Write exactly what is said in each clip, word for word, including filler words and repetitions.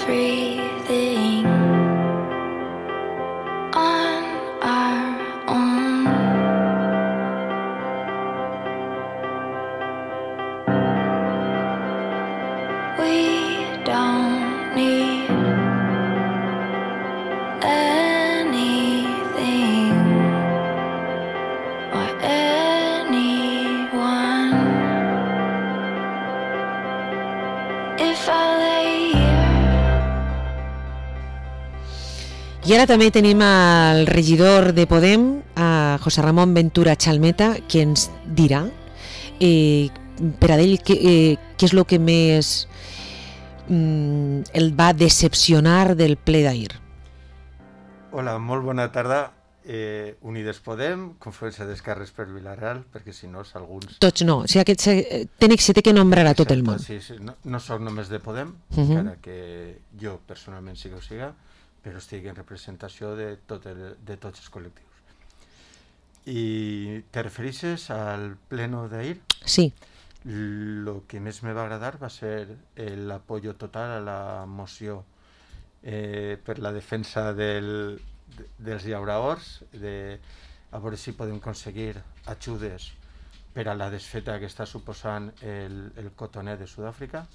everything on our own. We don't need anything or anyone. If I lay here. I ara també tenim al regidor de Podem, a José Ramón Ventura Chalmeta, que ens dirà eh, per a ell què, eh, què és el que més mm, el va decepcionar del ple d'ahir. Hola, molt bona tarda. Eh, Unides Podem, Confluència d'Esquerres per Vilareal, perquè si no, alguns... Tots no, o sigui, aquest se, ten, se té que nombrar a tot el món. Sí, sí, no, no soc només de Podem, Uh-huh. encara que jo personalment sí que ho siga, però estic en representació de, tot el, de tots els col·lectius. I te refereixes al pleno d'ahir? Sí. Lo que més me va agradar va ser l'apoyo total a la moció eh, per la defensa del, de, dels llauraors, de, a veure si podem aconseguir ajudes per a la desfeta que està suposant el, el cotoner de Sud-àfrica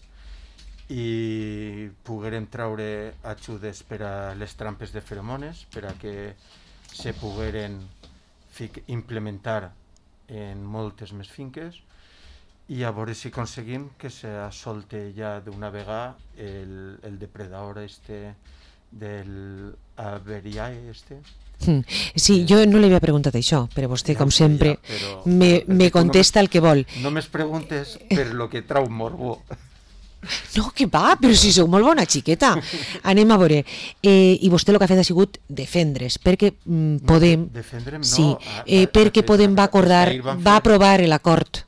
i poguérem treure ajudes per a les trampes de feromones, per a que se pogueren fic, implementar en moltes més finques i a veure si aconseguim que se solte ja d'una vegada el, el depredador este del averiae este. Mm. Sí, jo no li havia preguntat això, però vostè, Ja com ho sé, sempre, ja, però- me, perquè me tu contesta no el que vol. No me's preguntes per lo que trau morbo. No, que va, però si sou molt bona xiqueta. Anem a veure. Eh, I vostè el que ha fet ha sigut defendre's, perquè mm, Podem... defendre'm no, Sí, a- eh, a- perquè a- Podem va acordar, ahir van va fer- aprovar l'acord.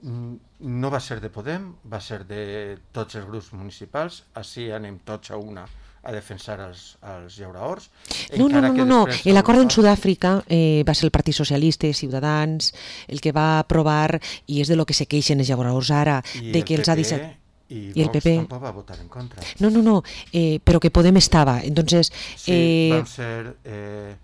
No va ser de Podem, va ser de tots els grups municipals. Així anem tots a una a defensar els, els llauraors. No, no, no, no, no. després l'acord en Europa- Sud-àfrica eh, va ser el Partit Socialista i Ciutadans el que va aprovar, i és de lo que se queixen els llauradors ara, i de el que els ha P P deixat... I, i el Vox P P. tampoc va votar en contra. No, no, no, eh, però que Podem estava. Entonces, Sí, eh, van ser eh,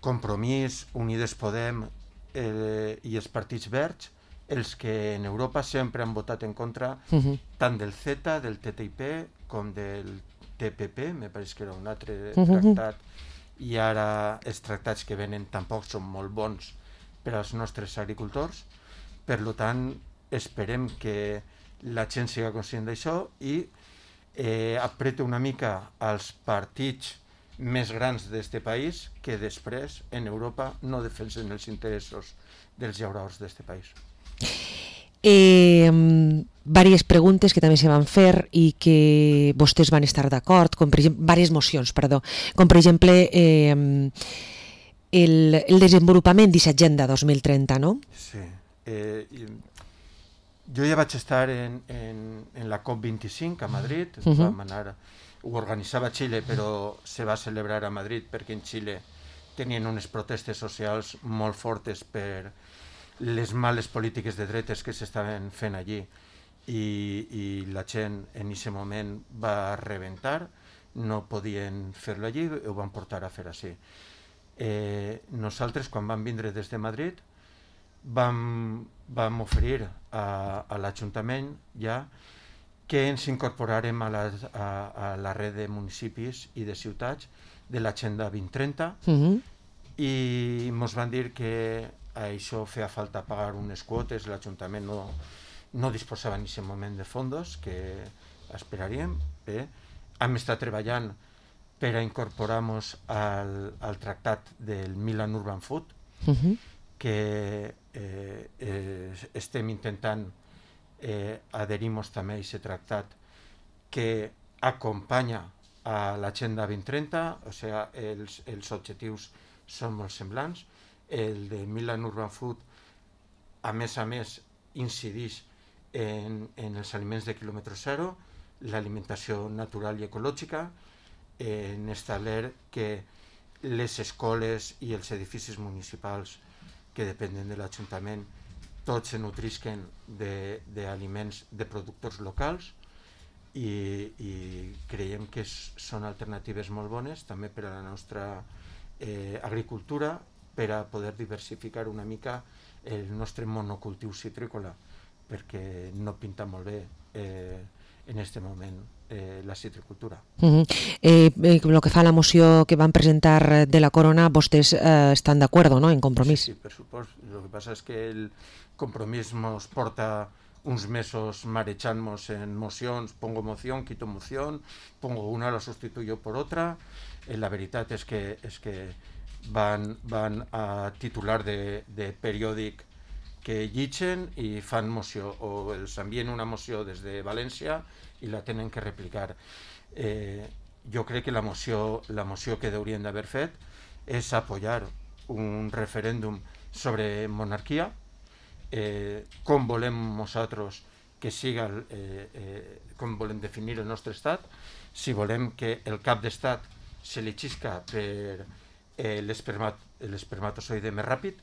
Compromís, Unides Podem eh, i els partits verds els que en Europa sempre han votat en contra uh -huh. tant del Z, del T T I P com del T P P, me pareix que era un altre Uh -huh. tractat, i ara els tractats que venen tampoc són molt bons per als nostres agricultors. Per tant, esperem que la gent siga conscient d'això i eh, aprete una mica als partits més grans d'este país, que després en Europa no defensen els interessos dels llauraors d'este país. Eh, diverses preguntes que també se van fer i que vostès van estar d'acord, com per exemple, diverses mocions, perdó, com per exemple eh, el, el desenvolupament d'aquesta agenda dos mil trenta, no? Sí. Eh, i, jo ja vaig estar en, en, en la COP vint-i-cinc a Madrid, uh -huh. vam anar, ho organitzava Xile, però se va celebrar a Madrid perquè en Xile tenien unes protestes socials molt fortes per les males polítiques de dretes que s'estaven fent allí, i, i la gent en aquest moment va rebentar, no podien fer-lo allí i ho van portar a fer així. Eh, nosaltres, quan vam vindre des de Madrid, vam, vam oferir a, a l'Ajuntament ja que ens incorporarem a la, a, a la red de municipis i de ciutats de l'Agenda vint trenta, Uh -huh. i ens van dir que a això feia falta pagar unes quotes, l'Ajuntament no, no disposava en aquest moment de fondos, que esperaríem. Bé, hem estat treballant per a incorporar-nos al, al tractat del Milan Urban Food, Uh -huh. que eh, eh, estem intentant eh, adherir-nos també a aquest tractat que acompanya a l'Agenda vint trenta, o sigui, els, els objectius són molt semblants. El de Milan Urban Food, a més a més, incideix en, en els aliments de quilòmetre zero, l'alimentació natural i ecològica, en establir que les escoles i els edificis municipals que depenen de l'Ajuntament tots se nutrisquen d'aliments de, de productors locals, i, i creiem que és, són alternatives molt bones també per a la nostra eh, agricultura, per a poder diversificar una mica el nostre monocultiu citrícola, perquè no pinta molt bé eh, en aquest moment eh, la citricultura. Uh-huh. eh, eh, lo que fa la moció que van presentar de la Corona, vostès eh, estan d'acord, ¿no?, en Compromís? Sí, sí, per supost. Lo que passa és que el Compromís nos porta uns mesos marechamos en mocions, pongo moción, quito moción, pongo una, la sustituyo por otra. Eh, la veritat és que, és que van, van a titular de, de periòdic que llitgen i fan moció, o els envien una moció des de València i la tenen que replicar. Eh, jo crec que la moció, la moció que haurien d'haver fet és apoyar un referèndum sobre monarquia, eh, com volem nosaltres que siga, eh, eh, com volem definir el nostre estat, si volem que el cap d'estat se li xisca per eh, l'espermat, l'espermatozoide més ràpid,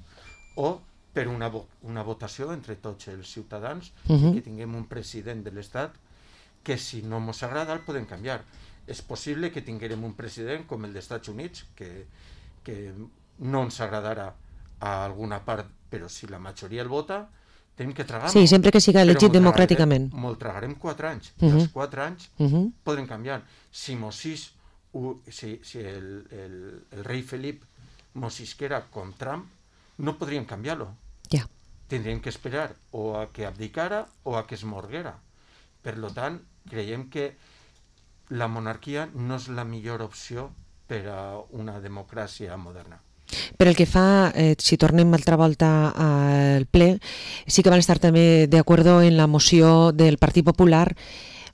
o per una, vo una votació entre tots els ciutadans, uh-huh. que tinguem un president de l'estat que si no ens agrada el podem canviar. És possible que tinguem un president com el dels Estats Units, que, que no ens agradarà a alguna part, però si la majoria el vota, tenim que tragar-lo. Sí, sempre que siga elegit democràticament. Molt tragarem quatre anys, i uh-huh. els quatre anys uh-huh. podrem canviar. Si Mosís, si, si el, el, el rei Felip mosisquera com Trump, no podríem canviar-lo. Ja. Tindríem que esperar o a que abdicara o a que es morguera. Per tant, creiem que la monarquia no és la millor opció per a una democràcia moderna. Per el que fa, eh, si tornem altra volta al ple, sí que van estar també d'acord en la moció del Partit Popular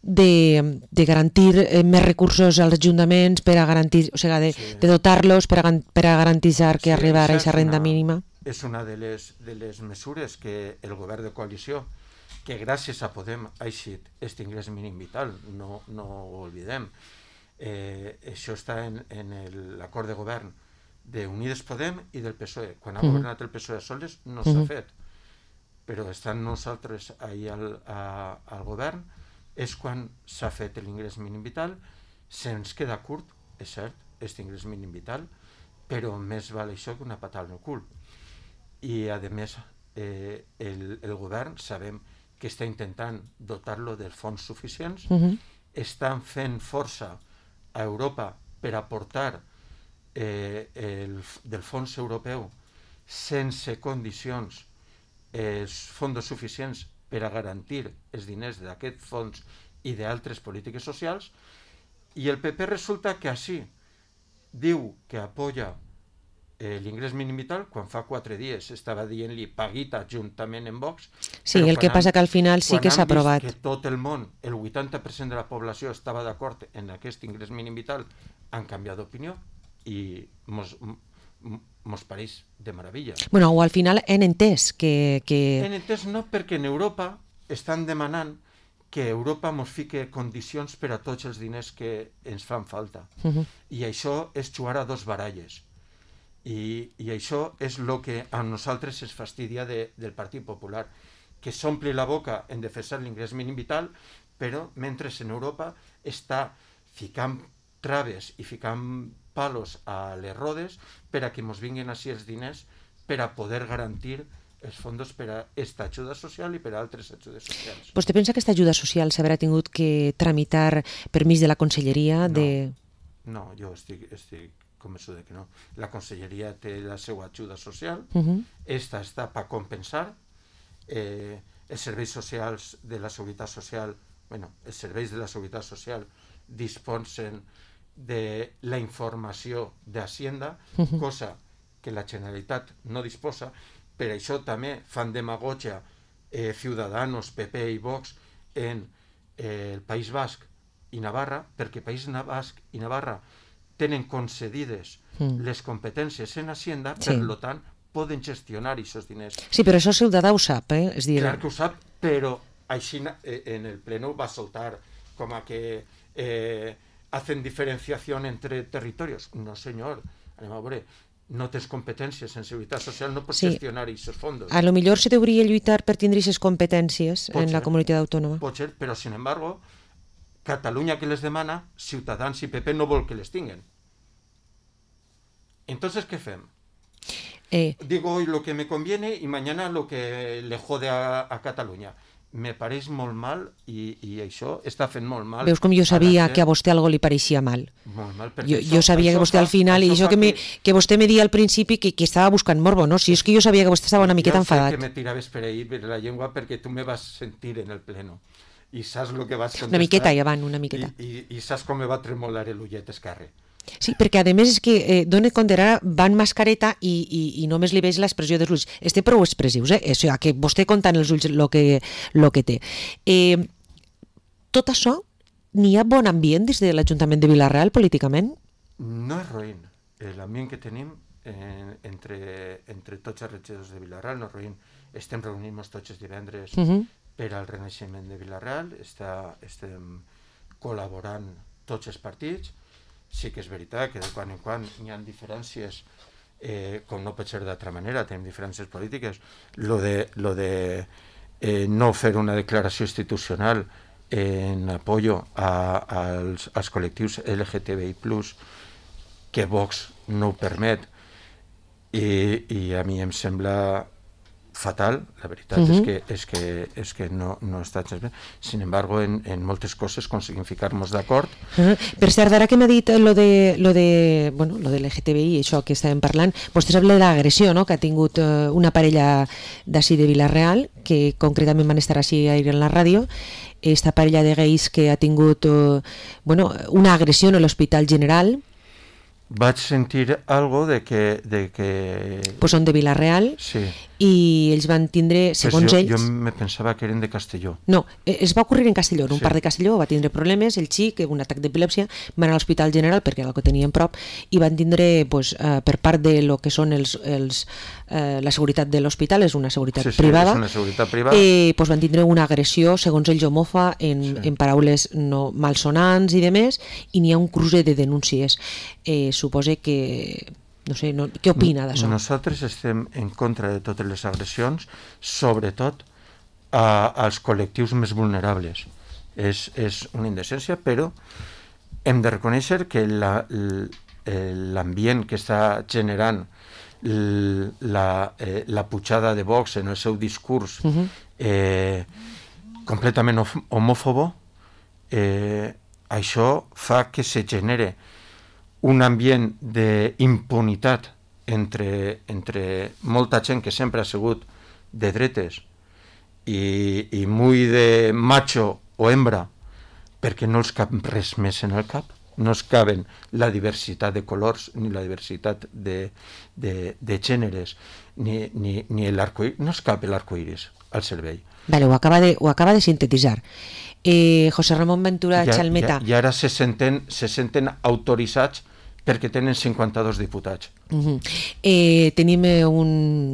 de, de garantir eh, més recursos als ajuntaments per a garantir, o sigui, de, sí. de dotar-los per a, per a garantitzar que sí, arribarà a aquesta renda mínima. És una de les, de les mesures que el govern de coalició, que gràcies a Podem ha eixit aquest ingrés mínim vital, no, no ho oblidem. Eh, això està en, en l'acord de govern d'Unides Podem i del P S O E. Quan ha uh-huh. governat el P S O E soles no s'ha uh-huh. fet, però estant nosaltres ahir al, a, al govern és quan s'ha fet l'ingrés mínim vital. Se'ns queda curt, és cert, aquest ingrés mínim vital, però més val això que una patada al cul. I a més eh, el, el govern sabem que està intentant dotar-lo dels fons suficients, uh-huh. estan fent força a Europa per aportar eh, el, del fons europeu sense condicions els fons suficients per a garantir els diners d'aquest fons i d'altres polítiques socials, i el P P resulta que així diu que apoya Eh, l'ingrés mínim vital, quan fa quatre dies estava dient-li paguita juntament en Vox. Sí, el que passa que al final sí que s'ha aprovat. Quan han vist que tot el món, el vuitanta per cent de la població estava d'acord en aquest ingrés mínim vital, han canviat d'opinió i mos, mos pareix de meravella. Bueno, o al final han entès que... que... Han entès no, perquè en Europa estan demanant que Europa mos fique condicions per a tots els diners que ens fan falta. Uh-huh. I això és jugar a dos baralles. I, i això és el que a nosaltres es fastidia de, del Partit Popular, que s'omple la boca en defensar l'ingrés mínim vital, però mentre en Europa està ficant traves i ficant palos a les rodes per a que ens vinguin així els diners per a poder garantir els fons per a aquesta ajuda social i per a altres ajudes socials. Vostè pensa que aquesta ajuda social s'haurà tingut que tramitar permís de la Conselleria? No, de... no jo estic... estic convençut de que no. La Conselleria té la seva ajuda social, uh-huh. esta està per compensar, eh, els serveis socials de la Seguretat Social, bueno, els serveis de la Seguretat Social disposen de la informació d'Hacienda, uh-huh. cosa que la Generalitat no disposa. Per això també fan demagogia eh, Ciudadanos, P P i Vox en eh, el País Basc i Navarra, perquè País Basc i Navarra tenen concedides mm. les competències en Hacienda, sí. per tant, poden gestionar aquests diners. Sí, però això Ciutadà ho sap, eh? És dir... Clar que ho sap, però així en el pleno va soltar com a que eh, hacen diferenciació entre territorios. No, senyor, anem a veure, no tens competències en seguretat social, no pots sí. gestionar aquests fons. A lo millor se deuria lluitar per tindre aquestes competències pot en ser, la comunitat autònoma. Pot ser, però sin embargo, Catalunya que les demana, Ciutadans i P P no vol que les tinguen. Entonces, ¿qué fem? Eh. Digo hoy lo que me conviene y mañana lo que le jode a, a Catalunya. Me pareix molt mal i, i això està fent molt mal. Veus com jo sabia que a vostè algo li pareixia mal. Molt mal, jo, això, jo sabia que vostè fa, al final, i això que, me, que vostè me dia al principi que, que estava buscant morbo, no? Si és que jo sabia que vostè estava una miqueta enfadat. Jo sé que me tiraves per ahir per la llengua perquè tu me vas sentir en el pleno i saps el que vas contestar. Una miqueta, ja van, una miqueta. I, i, i saps com me va tremolar l'ullet esquerre. Sí, perquè a més és que eh, dona compte, ara van mascareta i, i, i només li veig l'expressió dels ulls. Este prou expressius, eh? O sigui, que vostè compta en els ulls el que, lo que té. Eh, tot això, n'hi ha bon ambient des de l'Ajuntament de Vila-real políticament? No és roïn. L'ambient que tenim eh, entre, entre tots els regidors de Vila-real no és roïn. Estem reunint-nos tots els divendres uh -huh. per al renaixement de Vila-real, Està, estem col·laborant tots els partits. Sí que és veritat que de quan en quan hi ha diferències, eh, com no pot ser d'altra manera, tenim diferències polítiques. Lo de, lo de eh, no fer una declaració institucional en apoyo a, als, als col·lectius L G T B I plus, que Vox no ho permet, i, i a mi em sembla fatal, la veritat uh-huh. és que, és que, és que no, no està gens bé. Sin embargo, en, en moltes coses aconseguim ficar-nos d'acord. Uh-huh. Per cert, ara que m'ha dit lo de, lo de, bueno, lo de L G T B I, això que estàvem parlant, vostè sap de l'agressió, no?, que ha tingut uh, una parella d'ací de Vila-real, que concretament van estar així ahir en la ràdio, esta parella de gais que ha tingut uh, bueno, una agressió en l'Hospital General. Vaig sentir algo de que... De que... Pues són de Vila-real, sí. I ells van tindre, segons pues jo, ells... Jo me pensava que eren de Castelló. No, es va ocorrir en Castelló, en un sí. parc de Castelló, va tindre problemes, el xic, un atac d'epilèpsia, van a l'Hospital General perquè era el que tenien prop, i van tindre, pues, uh, per part de lo que són els, els, uh, la seguretat de l'hospital, és una seguretat sí, sí, privada, és una seguretat privada. Eh, pues van tindre una agressió, segons ells, homofa, en, sí. en paraules no malsonants i demés, i n'hi ha un cruce de denúncies. Eh, suposa que... No sé, no, què opina d'això? Nosaltres estem en contra de totes les agressions, sobretot a, als col·lectius més vulnerables. És, és una indecència, però hem de reconèixer que la, l'ambient que està generant la, eh, la pujada de Vox en el seu discurs uh-huh. eh, completament homòfobo, eh, això fa que se genere un ambient d'impunitat entre, entre molta gent que sempre ha sigut de dretes i, i muy de macho o hembra, perquè no els cap res més en el cap, no es caben la diversitat de colors ni la diversitat de, de, de gèneres ni, ni, ni l'arcoiris, no es cap l'arcoiris al cervell. Vale, ho acaba de, ho acaba de sintetitzar. Eh, José Ramón Ventura I, Chalmeta. I, i ara se senten, se senten autoritzats perquè tenen cinquanta-dos diputats. Uh-huh. eh, tenim un,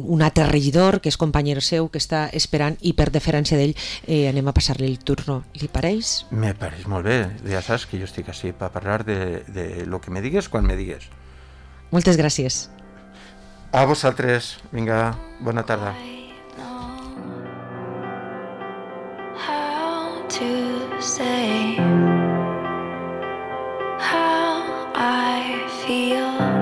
un altre regidor, que és company seu, que està esperant, i per deferència d'ell eh, anem a passar-li el turno. Li pareix? Me pareix molt bé. Ja saps que jo estic així per parlar de, de lo que me digues quan me digues. Moltes gràcies. A vosaltres. Vinga, bona tarda.